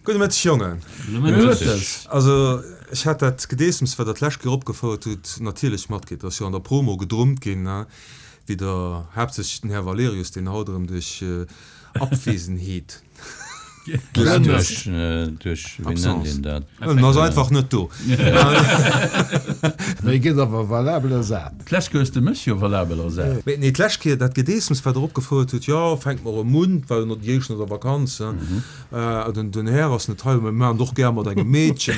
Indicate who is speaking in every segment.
Speaker 1: Gudde Mëtteg Jongen.
Speaker 2: Gudde Mëtteg.
Speaker 1: Also ech hat dat Gedeessems wat der d'lescht Kéier opgefouert hutt natierlech matkritt. Ass jo an der Promo gedrummt ginn, ne, wéi der haaptsächlech den Här Valerius, deen haut erëm duerch Abwesenheet
Speaker 2: glänzt. Duerch, wéi nennt een dat?
Speaker 1: En ass einfach net do.
Speaker 3: Mee gëtt awer valabel ersat.
Speaker 2: D'lescht Kéier hues de mech jo valabel ersat.
Speaker 1: Mee nee, d'lescht Kéier dat Gedeessems wat der opgefouert hutt, jo, fänkt mer erëm un, war jo no déi éischt no der Vakanz, Den Här ass net hei, mä mir maachen et och gär mat engem Meedchen.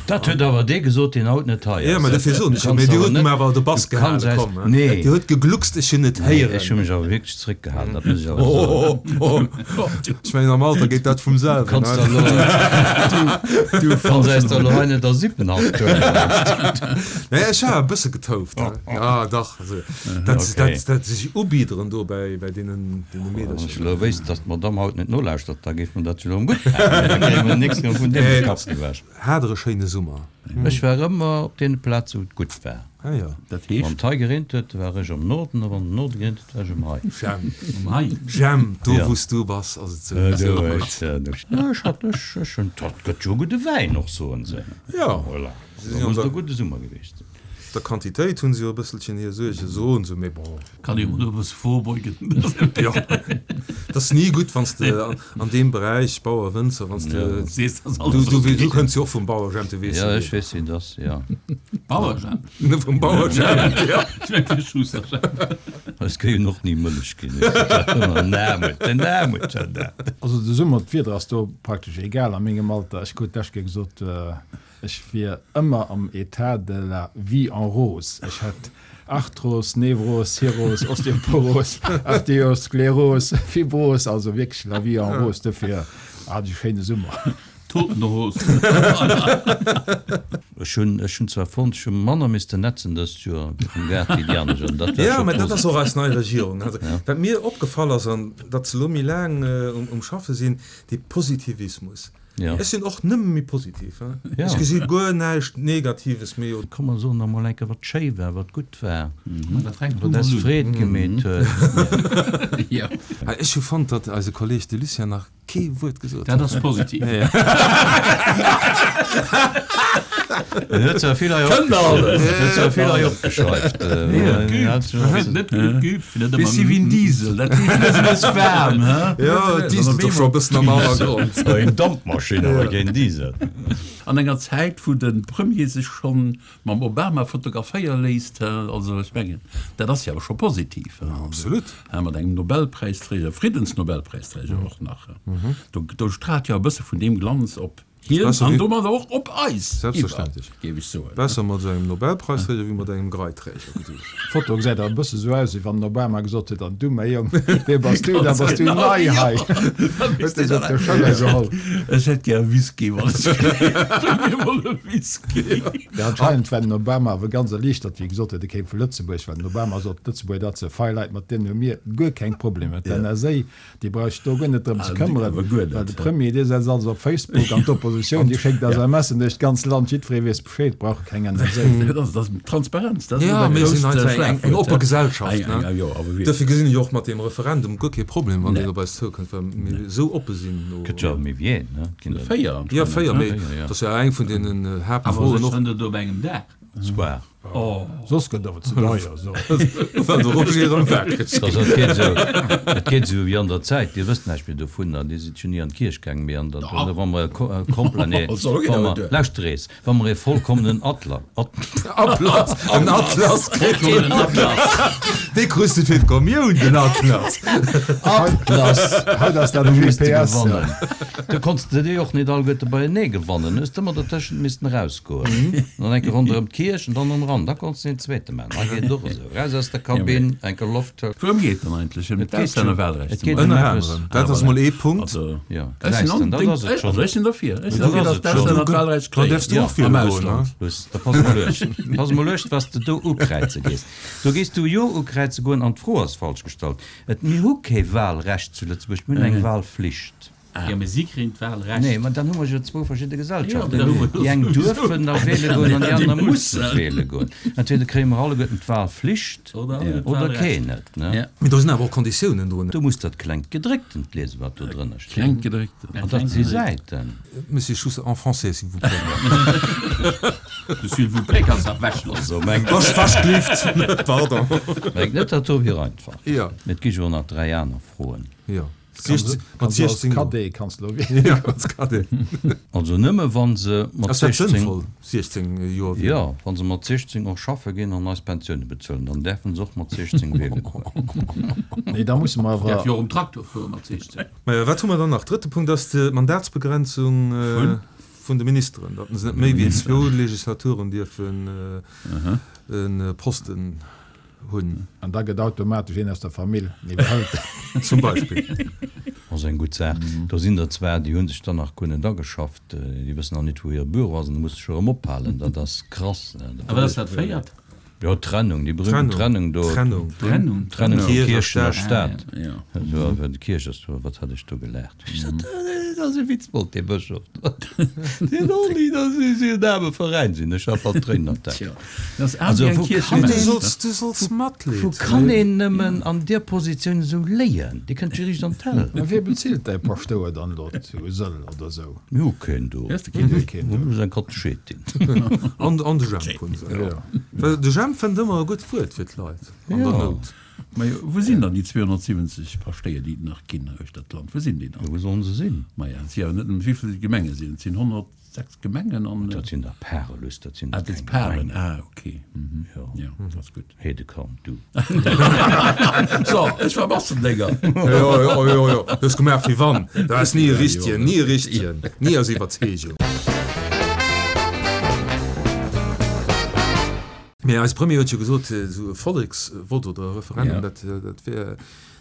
Speaker 2: Dat huet awer dee gesot, deen haut net hei ass.
Speaker 1: Jo, mä dofir soen ech jo. Mä Dir hutt em awer de Bass gehalen. Komm, Dir hutt gegluckst, ech hunn et héieren.
Speaker 2: Ech hu mech awer wierklech zeréckgehalen, dat muss ech awer soen.
Speaker 1: Ech mengen, am Alter geet dat vum selwen.
Speaker 2: Du kanns eis der elo hei net a Sippenhaft huelen.
Speaker 1: Nee, ech war e bësse getouft. Jo, dach. Also, dat, dat, dat sech ubiederen do bäi, bäi deenen, deene
Speaker 2: Meedercher. Wann ech elo wéisst, dass d'Madamm haut net nolauschtert, da géif mer dat jo elo erëm gutt maachen. Da kréie mer nächst Kéier vun deem de Kapp gewäsch.
Speaker 1: Hat Der e schéine Summer?
Speaker 2: Ech war ëmmer op deene Plaze wou et gutt war.
Speaker 1: Ah jo.
Speaker 2: Dat heescht? Wann d'hei gereent huet, war ech am Norden, a wann den Norde gereent huet, war ech um hei.
Speaker 1: J'aime. Um hei. J'aime. Do wou s du bass, ass et souwisou gutt.
Speaker 2: Ech hat, ech, ech hunn, dat gëtt jo e gudde Wäin och, soen se.
Speaker 1: Jo.
Speaker 2: Voilà. Da muss et e gudde Summer gewiescht sinn.
Speaker 1: Der Quantitéit hunn se jo e bësselchen hir Suerge, soen se, mee bon.
Speaker 4: Kann ee mol e bësse vorbeugen.
Speaker 1: Jo, et ass ni gutt, wann s de an deem Beräich, Bauer, Wënzer, wann s de,
Speaker 4: Sees, dass alles
Speaker 1: du, du, du kënns jo och vum Bauer Jemp, du weess
Speaker 2: jo. Jo, ech weess, wéi et ass, jo.
Speaker 4: Bauer Jemp?
Speaker 1: Vum Bauer Jemp, jo.
Speaker 4: Ech mengen, fir Schuster Jemp.
Speaker 2: Es géif och ni Mëllech ginn. Den Aarmut, den Aarmut, den.
Speaker 3: Also de Summer, d'Wieder ass do praktesch egal a mengem Alter. Ech krut d'lescht Kéier gesot, Ech wier ëmmer am Etat de la vie en rose. Ech hätt Arthros, Nevros, Cirrhos, Osteoporos, Arterioskleros, Fibros, also wierklech la vie en rose. Dofir hat ech e schéine Summer.
Speaker 4: Totenhose.
Speaker 2: Ech hunn, ech hunn zwar fonnt, ech hu manner missten netzen dëst Joer am Gaart wéi déi aner Joren. Dat war
Speaker 1: Jo,
Speaker 2: scho
Speaker 1: mä dat ass
Speaker 2: positiv.
Speaker 1: och eis nei Regierung. Also, wat mir opgefall ass, an datt se elo méi laang um Schaffe sinn, dee Positivismus.
Speaker 2: Ja.
Speaker 1: Ech sinn och nëmme méi positiv.
Speaker 2: Ja.
Speaker 1: Ech gesi guer näischt Negatives méi.
Speaker 2: Komm mer soen nach mol eng Kéier wat schéi war, wat gutt war,
Speaker 4: Dat fänkt
Speaker 2: wat eis Freed gemeet huet.
Speaker 4: Jo.
Speaker 1: Ech hu fonnt, datt eise Kolleg de Lucien nach kee Wuert gesot huet.
Speaker 4: Dat ass positiv.
Speaker 2: En huet zwar vill hei opgeschriwwen, huet zwar vill hei opgeschreift.
Speaker 4: Net geübt, fir net ëmmer. Bis si wéi en Diesel, dat heescht, et ass waarm, he?
Speaker 1: Jo, et dieselt och scho e bëssen am Hannergrond.
Speaker 2: Eng Dampmaschinn, awer keen Diesel.
Speaker 4: An enger Zäit, wou de Premier sech scho mam Obama fotograféiere léisst, he, also ech mengen, dat ass jo awer scho positiv, he?
Speaker 1: Absolut.
Speaker 4: He, mat engem Nobelpräisträger, Friddensnobelpräisträger och nach, he, do straalt jo e bësse vun deem Glanz op. Hien an domadder och op eis iwwer, géif ech soen.
Speaker 1: Besser mat esou engem Nobelpreisträger wéi mat engem Greiträger.
Speaker 3: D'Foto gesäit awer e bësse sou aus, wéi wann den Obama gesot huet, An du, mäi Jong, wee bass du? Da bass du nei hei. Huet e se op de Schëller geholl.
Speaker 4: Ech hätt gär e Whisky, wann ech kéint. Bréng mir mol e Whisky.
Speaker 3: Jo, anscheinend war den Obama awer ganz erliichtert, wéi e gesot huet, e kéim vu Lëtzebuerg, well den Obama sot, d'Lëtzebuerger, dat se fei Leit, mat deenen hu mir guer keng Problemer. D'NSA, Déi brauch sech do guer net drëm ze këmmeren, well de Premier, dee setzt alles op Facebook an d'Oppositioun, déi schéckt SMSen duerch d'ganz Land, jiddweree weess Bescheed, brauch keng NSA.
Speaker 4: Dat ass Transparenz, dat ass
Speaker 1: Jo, mir sinn einfach eng
Speaker 4: eng
Speaker 1: oppe Gesellschaft, ne? Dofir gesinn ech och mat deem Referendum guer kee Problem, wann deen op eis zoukënnt, well mir esou oppe sinn.
Speaker 2: Gëtt jo méi wéi een, ne?
Speaker 4: Ginn der 4
Speaker 1: anscheinend. Jo, 4, mee dat ass jo eng vun deenen Haaptfroen och.
Speaker 4: Awer sech op engem Dag.
Speaker 2: Zwar.
Speaker 3: Soss gëtt awer ze deier.
Speaker 1: Well de Roger erëm wakereg
Speaker 2: Also et geet esou, et geet esou wéi an der Zäit, Dir wësst näischt méi dovunner, Dir sidd jo ni an d'Kierch gaang, mee an der, wa mer e Kompl-, nee, wa mer, lauschter ees, wa mer e vollkommenen Atla, At,
Speaker 1: Atlas, en Atlas kritt een, dee krus de fir d'Kommioun, den Atlas.
Speaker 2: Atlas,
Speaker 3: Haut ass dat e
Speaker 2: hu misste
Speaker 3: GPS.
Speaker 2: gewannen. Du konns de déi och net alleguerte beienee gewannen, hues de ëmmer dertëschent missten eraus. Goen. Dann enke ronderëm d'Kierch an dann erëm ran. Da konns de een zweete maachen. Hei geet et och esou. Raus aus der Kabinn, enke Loft huelen.
Speaker 4: Wourëm geet dann eigentlech? Ëm d'Auslännerwahlrecht
Speaker 2: Et geet ëm
Speaker 1: Ënner
Speaker 2: eppes.
Speaker 1: anerem. Dat ass mol ee Punkt.
Speaker 2: Jo, gesäis de, dat ass et schonn.
Speaker 4: Also ech sinn derfir. Ech sinn derfir, datt d'Auslännerwahlrecht
Speaker 1: Dann däerfs du och
Speaker 4: kréien
Speaker 1: wiele
Speaker 4: am
Speaker 1: goen, ne?
Speaker 4: Ausland.
Speaker 2: Luss, da pass mol uecht. Pass mol uecht, wat s de do ukräize gees. Do gees du Jo ukräize goen an d'Fro ass falsch gestallt. Et, mir hu kee Wahlrecht zu Lëtzebuerg, mir hunn eng Wahlflicht.
Speaker 5: Jo, mee si kréien d'Wahlrecht.
Speaker 2: Nee, mä dann hu mer jo zwou verschidde Gesellschaften. Déi eng duerfen da wiele goen an déi aner musse wiele goen. Entweder kréie mer alleguerten d'Wahlflicht oder keen net.
Speaker 1: Mee do sinn awer och Konditiounen drun.
Speaker 2: Du muss dat klengt Gedrécktent liesen, wat do drënner steet.
Speaker 4: Klengt Gedrécktent.
Speaker 2: An dat si Säiten.
Speaker 1: Monsieur Schuster, en français, s'il vous plaît.
Speaker 5: De S'il vous plaît kanns de ewechloossen.
Speaker 1: Waschglift, pardon.
Speaker 2: Mengt net, dat do wier einfach.
Speaker 1: Jo.
Speaker 2: Mee et gi jo och nach 3 aner Froen.
Speaker 1: Jo.
Speaker 3: Kanns
Speaker 1: Mat
Speaker 3: du als
Speaker 1: 16 Joer.
Speaker 3: Cadet kanns du elo wielen.
Speaker 1: Jo, als Cadet.
Speaker 2: Also nëmme wa se mat
Speaker 1: Ass dat
Speaker 2: 16.
Speaker 1: sënnvoll, 16 Joer wielen?
Speaker 2: Jo, wa se mat 16 och schaffe ginn an eis Pensioune bezuelen, dann däerfe se och mat 16 wiele goen.
Speaker 3: Nee, da musse mer awer.
Speaker 5: Däerf jo och um Traktor fuere mat 16.
Speaker 1: Maja, wat hu mer dann nach? Drëtte Punkt ass d'Mandatsbegrenzung vun de Ministeren, datt se net méi wéi zwou Legislaturen dierfen e Posten hunn.
Speaker 3: An da gëtt automatesch een aus der Famill iwwerhëlt.
Speaker 1: Zum Beispill.
Speaker 2: Ass eng gutt Saach. Do sinn der zwar, déi hu sech dann nach guer net ageschafft, déi wëssen nach net, wou hire Büro ass, an da muss sech erëm ophalen. Dat ass krass.
Speaker 5: A wat ass dat véiert?
Speaker 2: Jo, d'Trennung, déi berühmten Trennung do.
Speaker 1: Trennung.
Speaker 5: Trennung.
Speaker 2: Trennung vu
Speaker 1: Kierch a
Speaker 2: Kierchen a
Speaker 1: Staat.
Speaker 2: Staat. Jo, déi Kierch ass do, wat hat ech do gelaacht? Dat ass e Witzbold, dee Bëschof do. Deen Olli, dat ass esou en aarme Veräin sinn. Ech hat bal d'Tréinen an d'Aen. Also, wou kann
Speaker 1: Du
Speaker 2: een,
Speaker 1: solls, du solls Matleed
Speaker 2: wou kann
Speaker 1: hunn.
Speaker 2: een nëmmen an deer Positioun esou léien? Dir kënnt jo riicht an d'Hell.
Speaker 3: Mä wee bezilt däi Paschtouer dann elo zu Sëll oder esou?
Speaker 2: Mir hu keen do.
Speaker 3: Mir hu keen do.
Speaker 2: Mir hu just eng Katechetin.
Speaker 1: An, an de Jemp hunn se.
Speaker 3: Jo.
Speaker 1: Well de Jemp fënnt ëmmer e gutt Wuert fir d'Leit an der Nout.
Speaker 4: Majo, wou sinn dann déi 270 Paschtéier, déi et nach ginn uechter d'Land? Wou sinn déi dann?
Speaker 2: Jo, wou sollen se sinn?
Speaker 4: Maja, et si awer net nëmmen, wéivill Gemenge sinn et? Et sinn 106 Gemengen an.
Speaker 2: Dat sinn der Pare, Luss, dat sinn
Speaker 4: Ah,
Speaker 2: der
Speaker 4: dat
Speaker 2: keng
Speaker 4: Paren,
Speaker 2: Gemengen.
Speaker 4: ah, okay. Mhm.
Speaker 2: Jo.
Speaker 4: Jo, dat ass gutt.
Speaker 2: Hedekamp, du.
Speaker 4: So, ech war Massendénger.
Speaker 1: Jo, jo, jo, jo, du hues gemaach wéi wann. Dat ass ni e richtegen, ni e richtegen, ni aus Iwwerzeegung. Mee eise Premier huet jo gesot, esou e Volleksvott oder e Referendum, dat, dat wär,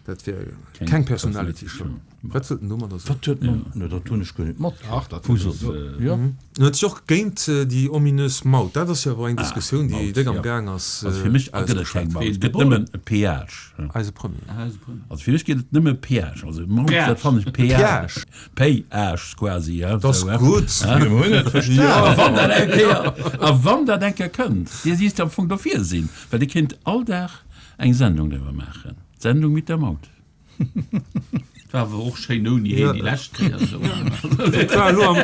Speaker 1: dat wär keng Personality Show. Wat wëllt en domadder soen?
Speaker 2: Wat huet en? No, dat hunn ech guer net matkritt.
Speaker 3: Ach, dat
Speaker 2: Wou
Speaker 3: huet e
Speaker 2: soss?
Speaker 3: gesot.
Speaker 2: Jo.
Speaker 1: En huet sech och géint déi ominös Maut, dat ass jo awer eng Diskussioun, déi
Speaker 4: Maut,
Speaker 1: déck am
Speaker 4: ja.
Speaker 1: Gaang ass,
Speaker 4: Also fir mech gëtt et keng
Speaker 1: ausgeschwat.
Speaker 4: Maut, et gëtt nëmmen e Péage.
Speaker 1: Eise Premier.
Speaker 4: Also fir mech gëtt et nëmme Péage. Also Maut,
Speaker 5: Péage.
Speaker 4: dat fannen ech Péage.
Speaker 1: Péage.
Speaker 4: Péage quasi, ja.
Speaker 1: Dat ass gutt.
Speaker 2: Mir hunn et verstanen.
Speaker 4: A wann dat eng Kéier, a wann dat eng Kéier kënnt, Dir sidd am Fong dofir sinn, well Dir kéint all Dag eng Sendung driwwer maachen, d'Sendung mit der Maut.
Speaker 5: War awer och schéin ouni heen déi lescht Kéier esou.
Speaker 1: Et war elo am,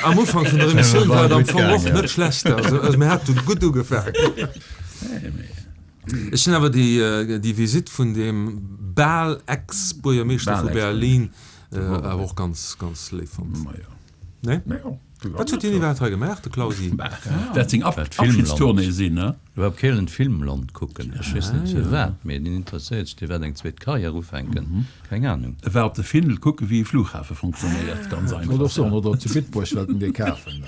Speaker 1: am Ufank vun der Emissioun war et am Fong och net schlecht. Also, also mir hate gutt ugefaangen. Ech hunn awer déi, déi Visitt vun deem bal Ex-Buergermeeschter vu Berlin awer och ganz, ganz léif fonnt. Nee? Wat huet deen iwwerhaapt hei gemaach, de Clausi?
Speaker 4: Wäert seng Abschiedstournée sinn, ne?
Speaker 2: Iwwerhaapt Kehlen Filmland kucken, ech weess net firwat, mee deen interesséiert sech, dee wäert eng zweet Karriär ufänken, keng Ahnung.
Speaker 4: E war op de Findel kucken, wéi e Flughafe funktionéiert, ganz
Speaker 3: Wollt och
Speaker 4: einfach.
Speaker 3: soen, oder zu Bitburg wëllt en dee kafen.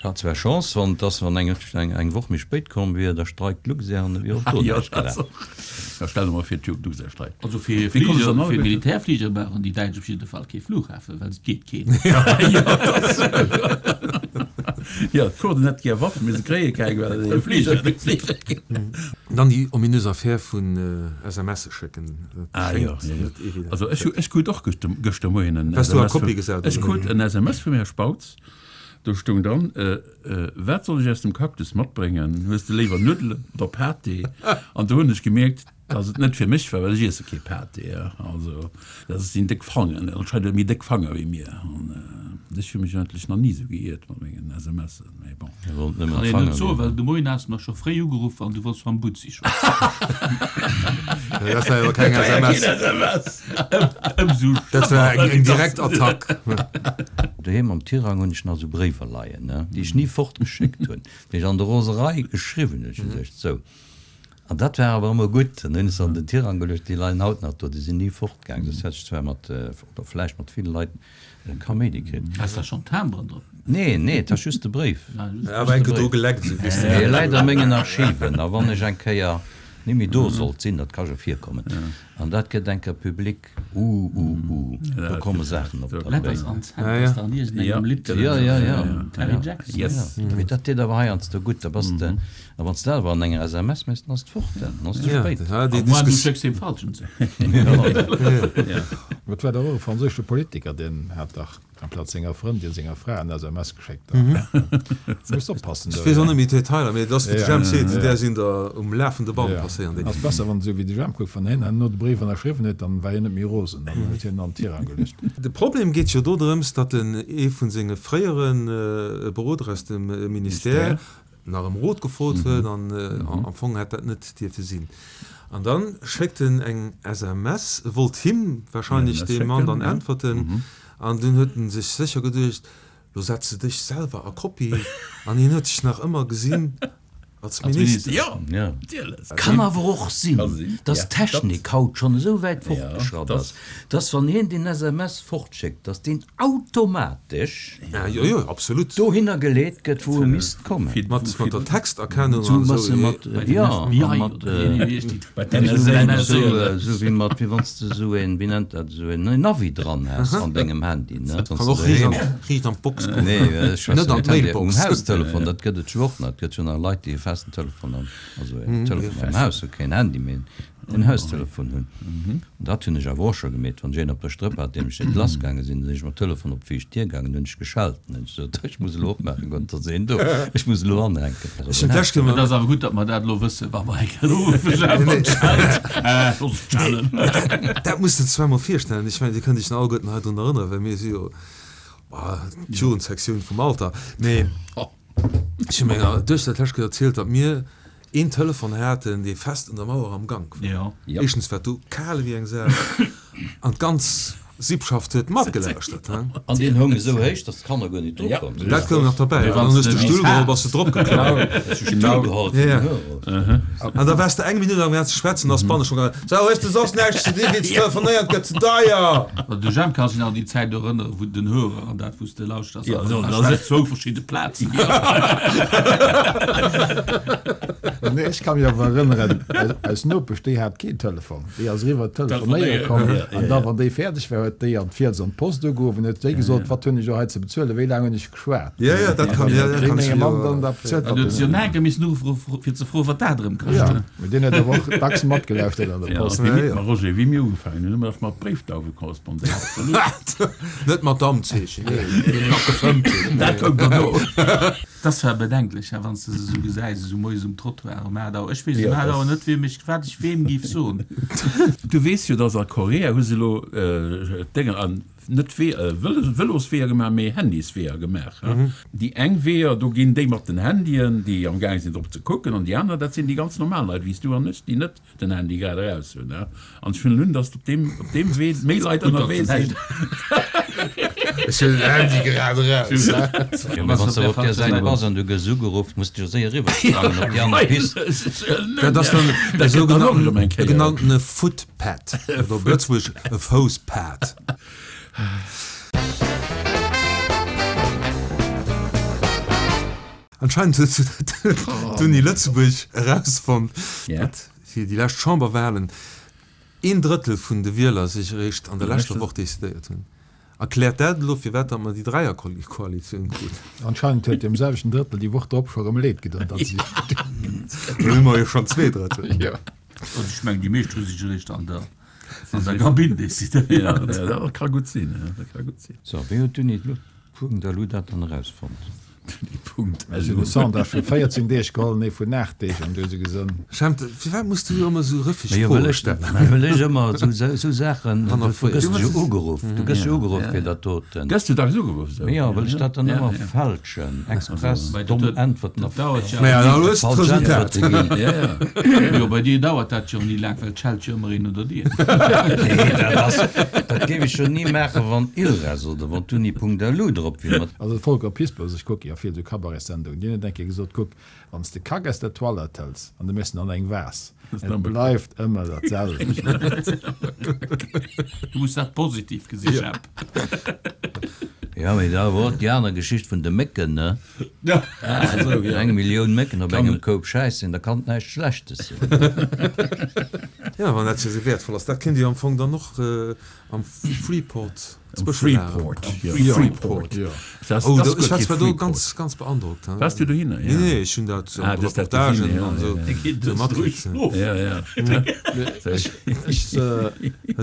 Speaker 2: Hat zwar Chance, wann dass wann eng eng Woch méi spéit komm wier, da streikt d'Luxair an e wier och do näischt gelaf.
Speaker 4: Ja, stell der mol vir, d'Luxair streikt.
Speaker 5: Also fir
Speaker 4: Wéi komme se
Speaker 5: Fliger,
Speaker 4: dann
Speaker 5: fir Militärfliger brauchen déi Däitsch op jidde Fall kee Flughafen, well et geet keen.
Speaker 4: Jo, d'Kurden hätte gär Waffen, mee se kréie keng, well de Fliger net fliegt.
Speaker 1: Dann déi ominös Affär vun SMSe schécken, dat
Speaker 4: Ah jo,
Speaker 1: schéngt
Speaker 4: jo, jo.
Speaker 1: net evident.
Speaker 4: Also ech hu, ech krut och gëschter, gëschter Moien en
Speaker 1: Waars du a
Speaker 4: SMS vum,
Speaker 1: Kopie gesat,
Speaker 4: ech
Speaker 1: oder
Speaker 4: krut
Speaker 1: wéi?
Speaker 4: en SMS vum Här Spautz, do stoung dran, Wat soll ech aus dem Cactus matbréngen? Hues de léiwer Nuddelen oder Pâté? An do hunn ech gemierkt, dass et net fir mech war, well ech iesse kee Pâté. Also dat sinn déck Fangen, anscheinend huet e méi déck Fanger wéi mir. An ech hu mech eigentlech nach ni esou geiert mat mengen SMSen, mee bon.
Speaker 2: Wollt nëmmen
Speaker 5: Kann een
Speaker 2: Fanger
Speaker 5: net soen,
Speaker 2: ginn.
Speaker 5: well de Moien has de mech scho fréi ugeruff an du wollts mam Butzi schwätzen.
Speaker 1: Dat war jo keng SMS.
Speaker 5: Ëmsou
Speaker 1: Dat war eng, eng direkt Attack.
Speaker 2: Doheem am Tirang hunn ech nach esou Bréiwer leien, ne, déi ech ni fortgeschéckt hunn, déi ech an der Roserei geschriwwen hunn. Ech hu geduecht, sou. An dat war awer ëmmer gutt. Dann hunn ech se an den Tirang geluecht, déi leien haut nach do, déi sinn ni fortgaangen. Soss hätt ech zwar mat, oder vläicht mat ville Leit Kaméidi kritt.
Speaker 5: Has da schonn Timberen drop?
Speaker 2: Nee, nee, et ass just de Bréif.
Speaker 1: Awer enke do geleckt, esou wéi s de.
Speaker 2: Dee läit a mengen Archiven. A wann ech eng Kéier. Ni méi do sollt sinn, dat ka jo virkommen, an dat gëtt eng Kéier public, uh, uh, uh, do komme Saachen op der
Speaker 5: Letters
Speaker 2: Béin.
Speaker 5: on Sand ass dach an iergendengem Lidd
Speaker 2: Ja, ja, ja.
Speaker 5: Terry Jackson.
Speaker 2: Yes. Mee dat deet awer heiansdo gutt, da bass de, a wann s de dat awer an enger SMS méchs, dann ass et fort, dann ass et ze spéit.
Speaker 1: Ja, déi
Speaker 5: A moins du
Speaker 1: Diskus.
Speaker 5: schécks deem Falschen ze.
Speaker 3: Et war dach och e franséische Politiker, deen hat dach Amplaz senger Frëndin senger Fra en SMS geschéckt hat. Muss oppassen
Speaker 1: Ech
Speaker 3: do.
Speaker 1: weess och net méi d'Detailer, mee et ass wéi de Jemp seet, där sinn der um lafende Band
Speaker 3: Ja.
Speaker 1: passéieren déi.
Speaker 3: Ass besser wann esou wéi de Jemp kuckt, wann hien herno de Bréif ënnerschriwwen huet, dann war hien net méi rosen, dann huet hien en an d'Tirang geluecht.
Speaker 1: De Problem geet jo do drëms, datt en ee vun senge fréiere Beroder aus dem Ministère nach ëm Rot gefrot huet an am Fong hätt dat net dierfe sinn. An da schéckt en eng SMS, e wollt him wahrscheinlech deem Mann dann äntwerten an dunn huet en sech sécher geduecht, lo setz de dech selwer a Kopie an hien huet sech nach ëmmer gesinn als Minister.
Speaker 4: Jo, natierlech.
Speaker 2: Kann awer och sinn, dass d'Technik haut schonn esou wäit fortgeschratt ass, dass wann hien deen SMS fortschéckt, dass deen automatesch dohinner geleet gëtt, wou e misst kommen.
Speaker 1: Mat der Texterkennung an esou.
Speaker 2: Jo, mat, esou wéi mat, wéi wann s de esou een, wéi nennt dat, esou een Navi dran häss an dengem Handy, ne?
Speaker 1: Kann och riicht an d'Box goen.
Speaker 2: Nee, ech schwätzen
Speaker 1: Net an
Speaker 2: net Handy, um
Speaker 1: d'Mailbox.
Speaker 2: Haustelefon, dat gëtt et jo och nach. Et gëtt jo nach Leit, déi e festen Telefon am, also en Telefon am Haus hunn, keen Handy, mee en Haustelefon hunn. An dat hunn ech awer och scho gemeet, wann ech een op der Strëpp hat, deem ech net lass gaange sinn, da sinn ech mam Telefon op d'viischt Dier gaangen, hunn ech geschellt an hunn gesot, ech muss elo opmaachen goen, et ass een do, ech muss elo anhänken.
Speaker 1: Ech hunn d'lescht Kéier
Speaker 5: Et ass awer gutt, datt mer dat elo wëssen, wa mer eng Kéier uruffen, Jeff, an d'Schelt. Äh, looss ech schellen.
Speaker 1: Dat musst de zwar mol virstellen, ech mengen, Dir kënnt Iech nach alleguerten hei drun erënneren, well mir si jo d'Jugendsektioun vum Alter, mee ech hu menger Duechter d'lescht Kéier erzielt, datt mir een Telefon haten, dee fest un der Mauer am Gank war. Éischtens war et do kal ewéi eng Sau an d'ganz Sippschaft huet matgelauschtert.
Speaker 2: An deen houng esou héich, datt d'Kanner guer net dru komm sinn.
Speaker 1: Dat koum nach derbäi. An dann hues de Stull geholl, bass de drop geklommen. An da waars de eng Minutt am Gaang ze schwätzen, ass d'Banne scho gaangen, Sou, hues de soss näischt ze di wéi ze telefonéieren, et gëtt ze deier!
Speaker 5: De Jemp ka sech nach un déi Zäit erënneren, wou den Hörer an dat, wou s de lauschters, awer dat zwou verschidde Plazen.
Speaker 3: Nee, ech ka mech awer erënneren, eis Nopesch, déi hat keen Telefon. Déi ass eriwwer telefonéiere komm an da, wann déi fäerdeg war, huet déi an d'Fiels an d'Post ugeruff an huet déi gesot, Wat hunn ech elo hei ze bezuelen, wéi laang hunn ech geschwat?
Speaker 1: Jo, jo, dat kann, jo, dat kann ech
Speaker 3: meng Mamm dann da bezuelt.
Speaker 5: An huet se jo nach eng Kéier missen uruffen, fir ze froen, wat dat erëm kascht.
Speaker 3: Jo, mee deen huet awer och dacks matgelauschtert an der Post.
Speaker 4: Ja, ma Roger, wéi mir ugefaangen hunn, hu mir dach mat Bréifdauwe korrespondéiert.
Speaker 1: Net mat Dammzeechen, nee, déi nach gefëmmt hunn.
Speaker 4: Dat koum derno.
Speaker 5: Dat ass zwar bedenklech, hè, wann s de se esou gesäis, esou moies um Trottoir um 8 Auer. Ech weess um 8 Auer net, wiem ech, wat ech weem géif soen.
Speaker 4: Du weess jo, dass a Korea hu se elo Dénger an net Wee, Vëlosweeër gemaach, mee Handysweeër gemaach. Déi eng Weeër, do ginn déi mat den Handyen, déi am gaang sinn drop ze kucken, an déi aner, dat sinn déi ganz normal Leit wéi s du an ech, déi net den Handy grad eraus hunn, ne? An ech huelen un, datt op deem, op deem Wee méi Leit ënnerwee sinn.
Speaker 1: Ech hunn den Handy grad eraus, ne?
Speaker 2: Jo, mee wann s de op där Säit bass an du gëss ugeruff, muss de jo séier eriwwersprangen op déi aner Pist.
Speaker 1: Dat ass dann e sougenannten, e genanntene Footpad, oder op Lëtzebuergesch e Fousspad. Anscheinend huet d'Uni Lëtzebuerg erausfonnt, datt fir déi lescht Chamberwahlen een Drëttel vun de Wieler sech eréischt an der leschter Woch decidéiert hunn. Erkläert dat elo, firwat datt mer déi Dräierkoalitioun kruten?
Speaker 3: Anscheinend huet deem selwechten Drëttel déi Woch drop scho rëm leed gedoen, datt si.
Speaker 1: Dann hu mer jo schonn 2 Drëttel.
Speaker 3: Jo.
Speaker 5: Also ech mengen, déi meescht hu sech eréischt an der Kabinn decidéiert.
Speaker 4: Dat ka gutt sinn, dat ka gutt sinn.
Speaker 2: So, wéi huet d'Uni Lu dat dann erausfonnt?
Speaker 4: Punkt.
Speaker 3: Ech hunn e Sondage vu 14 Deeg geholl, nee vun 8 Deeg an du hu se gesonn.
Speaker 1: Jemp, firwat muss du ëmmer esou rëffeg
Speaker 2: Majo,
Speaker 1: Froe
Speaker 2: well ech,
Speaker 1: stellen?
Speaker 2: well ech ëmmer esou Saachen, du gëss jo ugeruff, du gëss jo ugeruff fir dat doten.
Speaker 4: Gëss du dacks ugeruff esou?
Speaker 2: Jo, well ech dat dann ëmmer fälschen, express domm Äntwerten a
Speaker 1: Maja, da hues de
Speaker 2: falsch
Speaker 1: d'Resultat.
Speaker 2: Äntwerte ginn.
Speaker 5: Jo, bei dir dauert dat jo ni laang, well et schellt jo ëmmer een un der Dier.
Speaker 2: Nee, dat ass, dat géif ech jo ni maachen, wann ILRES oder wann d'Uni.lu drop wier.
Speaker 3: Also de Volker Pispers, ech kucke jo vill esou Cabaretsendungen, deen huet eng Kéier gesot, Kuck, wann s de Kack aus der Toilette hëls an du méchs en an eng Vase, et bleift ëmmer dat selwecht.
Speaker 5: Du muss dat positiv gesi, Jemp.
Speaker 2: Jo, mee da wor och déi aner Geschicht vun de Mécken, ne? Eng Millioun Mécken op engem Koup Schäiss sinn, da kann et näischt Schlechtes sinn.
Speaker 1: Jo, wann dat jo esou wäertvoll ass, dat kéint Dir am Fong dann och am Freeport
Speaker 4: Freeport, jo. Freeport.
Speaker 1: Oh, do, ech war zwar do ganz, ganz beandrockt.
Speaker 4: Waars du dohinner?
Speaker 1: Nee, nee, ech hunn dat an de Reportagen an esou sou matkritt.
Speaker 4: Ja, ja.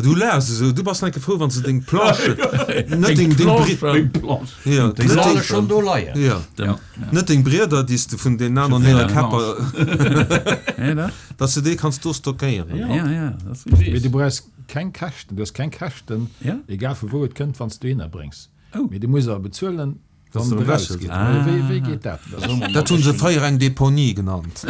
Speaker 1: Du laachs esou, du bass enke frou, wann s de deng Planche, net deng, deng Bri-, ja,
Speaker 2: Déi
Speaker 1: net
Speaker 2: soll
Speaker 1: deng,
Speaker 2: ech schonn do leien.
Speaker 1: ja, net deng Brieder, déi s de vun deenen aneren hire Käpper, dass de déi kanns do stockéieren.
Speaker 4: Ja, ja, dat ass richtig.
Speaker 3: Mee du brauchs keng Käschten, du hues keng Käschten, egal vu wou et kënnt, wann s du dohinner bréngs. Mee du muss awer bezuelen, wann et erausgeet. Mee wéi geet dat?
Speaker 1: Dat hu se fréier eng Deponie genannt.